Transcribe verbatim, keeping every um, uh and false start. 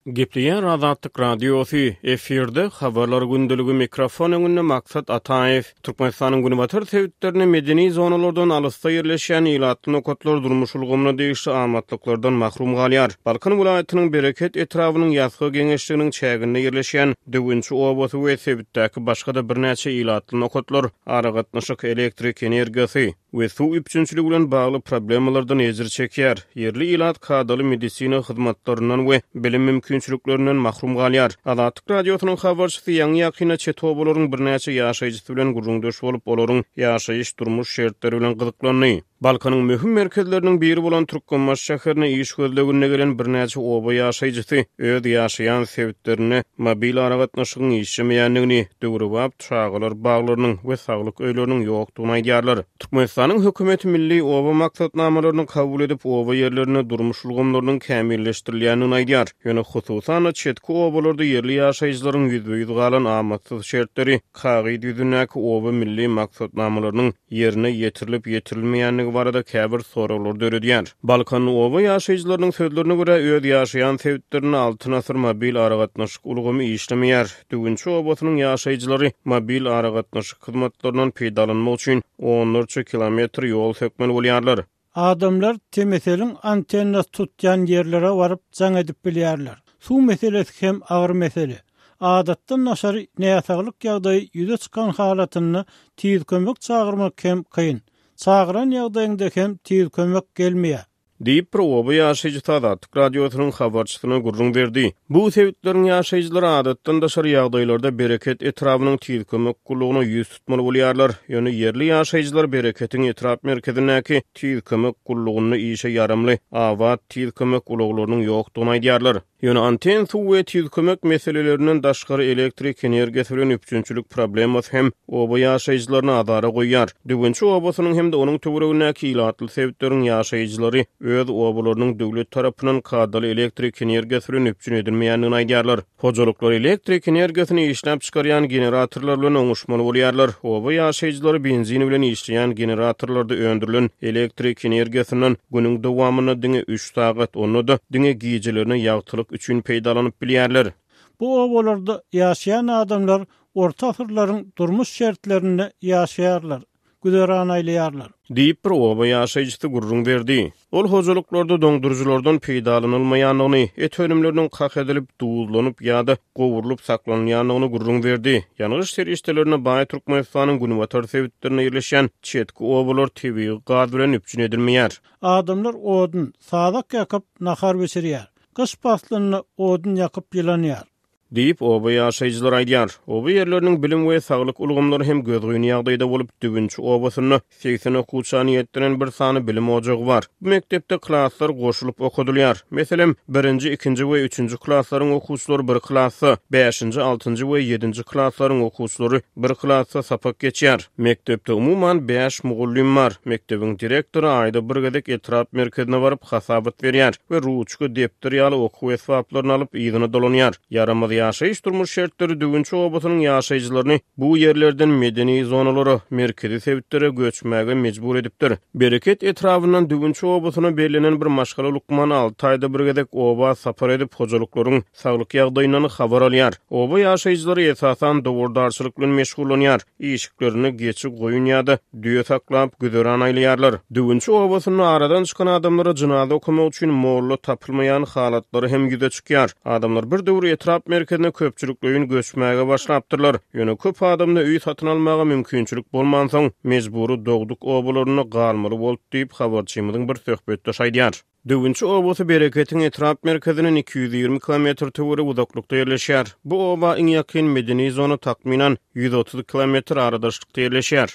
Gepleýär Azatlyk Radiosy, efirde Habarlar gündeligi, mikrofon öňünde Maksat Ataýew. Türkmenistanyň günbatar sebitlerinde medeni zonalardan alysda ýerleşýän ilatly nokatlar durmuş ulgamyna degişli amatlyklardan mahrum galýar. Balkan welaýatynyň Bereket etrabynyň Ýasga geňeşliginiň çäginde ýerleşýän Döwünçi obasy we sebitdäki başga-da birnäçe ilatly nokatlar aragatnaşyk, elektrik energiýasy we suw üpjünçiligi bilen bagly problemalardan ejir çekýär. Ýerli ilat kadaly medisina hyzmatlaryndan we bilim mümkinçiliklerinden mahrum galýar. Azatlyk Radiosynyň habarçysy ýaňy-ýakynda çet obalaryň birnäçe ýaşaýjysy bilen gürrüňdeş bolup, olaryň ýaşaýyş-durmuş şertleri bilen gyzyklandy. Balkanyň möhüm merkezleriniň biri bolan Türkmenbaşy şäherine iş gözleginde gelen birnäçe oba ýaşaýjysy öz ýaşaýan sebitlerinde mobil aragatnaşygyň işlemeýändigini, döwrebap çagalar baglarynyň we saglyk öýleriniň ýokdugyny aýdýarlar. Türkmenistanyň hökümeti milli oba maksatnamalaryny kabul edip, oba ýerlerinde durmuş ulgamlarynyň kämilleşdirilýändigini aýdýar. Ýöne hususan-da çetki obalarda ýerli ýaşaýjylaryň ýüzbe-ýüz galan amatsyz şertleri kagyz ýüzündäki oba milli maksatnamalarynyň ýerine ýetirilip-ýetirilmeýändigi barada käbir soraglary döredýär. Balkanly oba ýaşaýjylarynyň sözlerine görä, öz ýaşaýan sebitlerinde Altyn asyr mobil aragatnaşyk ulgamy işlemeýär. Düwünçi obasynyň ýaşaýjylary mobil aragatnaşyk hyzmatlaryndan peýdalanmak üçin onlarça kilometr ýol sökmeli bolýarlar. Adamlar T M S L-iň antennasy tutýan ýerlere baryp jaň edip bilýärler. Suw meselesi hem agyr mesele. Adatdan daşary näsaglyk ýagdaýy ýüze çykan halatynda tiz kömek çagyrmak hem kyn. Çagyran ýagdaýyňda hem tiz kömek gelmeýär. Diýip, bir oba ýaşaýjysy Azatlyk Radiosynyň habarçysyna gürrüň berdi. Bu sebitleriň ýaşaýjylary adatdan daşary ýagdaýlarda Bereket etrabynyň tiz kömek gullugyna ýüz tutmaly bolýarlar. Ýöne ýerli ýaşaýjylar Bereketiň etrap merkezindäki tiz kömek gullugynda işe ýaramly abat tiz kömek ulaglarynyň ýokdugyny aýdýarlar. Ýöne anten, suw we tiz kömek meselelerinden daşgary elektrik energiýasy bilen üpjünçilik problemasy hem oba ýaşaýjylaryny azara goýýar. Düwünçi obasynyň hem-de onuň töweregindäki ilatly sebitleriň ýaşaýjylary öz obalarynyň döwlet tarapyndan kadaly elektrik energiýasy bilen üpjün edilmeýändigini aýdýarlar. Hojalyklar elektrik energiýasyny işläp çykarýan generatorlar bilen oňuşmaly bolýarlar. Oba ýaşaýjylary benzin bilen işleýän generatorlarda öndürilen elektrik energiýasyndan günüň dowamynda diňe üç sagat, onda-da diňe gijelerine ýagtylyk üçin peýdalanyp bilýärler. Bu obalarda ýaşaýan adamlar orta asyrlaryň durmuş şertlerinde ýaşaýarlar, güzeran aýlaýarlar. Diýip, bir oba ýaşaýjysy gürrüň berdi. Ol hojalyklarda doňduryjylardan peýdalanylmaýandygyny, et önümleriniň kak edilip, duzlanyp ýa-da gowrulyp saklanylýandygyny gürrüň berdi. Ýangyç serişdelerine baý Türkmenistanyň günbatar sebitlerinde ýerleşýän çetki obalar tebigy gaz bilen üpjün edilmeýär. Adamlar odun, sazak ýakyp nahar bişirýär. Gyş paslynda odun ýakyp ýylanýar. Diýip, oba ýaşaýjylary aýdýar. Oba ýerleriniň bilim we saglyk ulgamlary hem gözgyny ýagdaýda bolup, Düwünçi obasynda segsen okuwça niýetlenen bir sany bilim ojagy bar. Bu mekdepde klaslar goşulyp okadylýar. Meselem, birinji, ikinji we üçünji klaslaryň okuwçylary bir klasda, bäşinji, altynjy we ýedinji klaslaryň okuwçylary bir klasda sapak geçýär. Mekdepde umuman bäş mugallym bar. Mekdebiň direktory aýda bir gezek etrap merkezine baryp hasabat berýär we ruçka, depder ýaly okuw esbaplaryny alyp yzyna dolanýar. Ýaramaz ýaşaýyş-durmuş şertleri Düwünçi obasynyň ýaşaýjylaryny bu ýerlerden medeni zonalara, merkezi sebitlere göçmäge mejbur edipdir. Bereket etrabyndan Düwünçi obasyna bellenen bir maşgala lukmany alty aýda bir gezek oba sapar edip, hojalyklaryň saglyk ýagdaýyndan habar alýar. Oba ýaşaýjylary esasan dowardarçylyk bilen meşgullanýar. Işiklerinde geçi, goýun ýa-da düýe saklap güzeran aýlaýarlar. Düwünçi obasynda aradan çykan adamlara jynaza okamak üçin molla tapylmaýan halatlary hem ýüze çykýar. Adamlar bir döwür etrap merkezine köpçülikleýin göçmäge başlapdyrlar. Ýöne köp adamda öý satyn almaga mümkinçilik bolmansoň, mejbury dogduk obalarynda galmaly boldy diýip, habarçymyzyň bir söhbetdeşi aýdýar. Düwünçi obasy Bereketiň etrap merkezinden iki ýüz ýigrimi kilometr töweregi uzaklykda ýerleşýär. Bu oba iň ýakyn medeni zona takmynan ýüz otuz kilometr aradaşlykda ýerleşýär.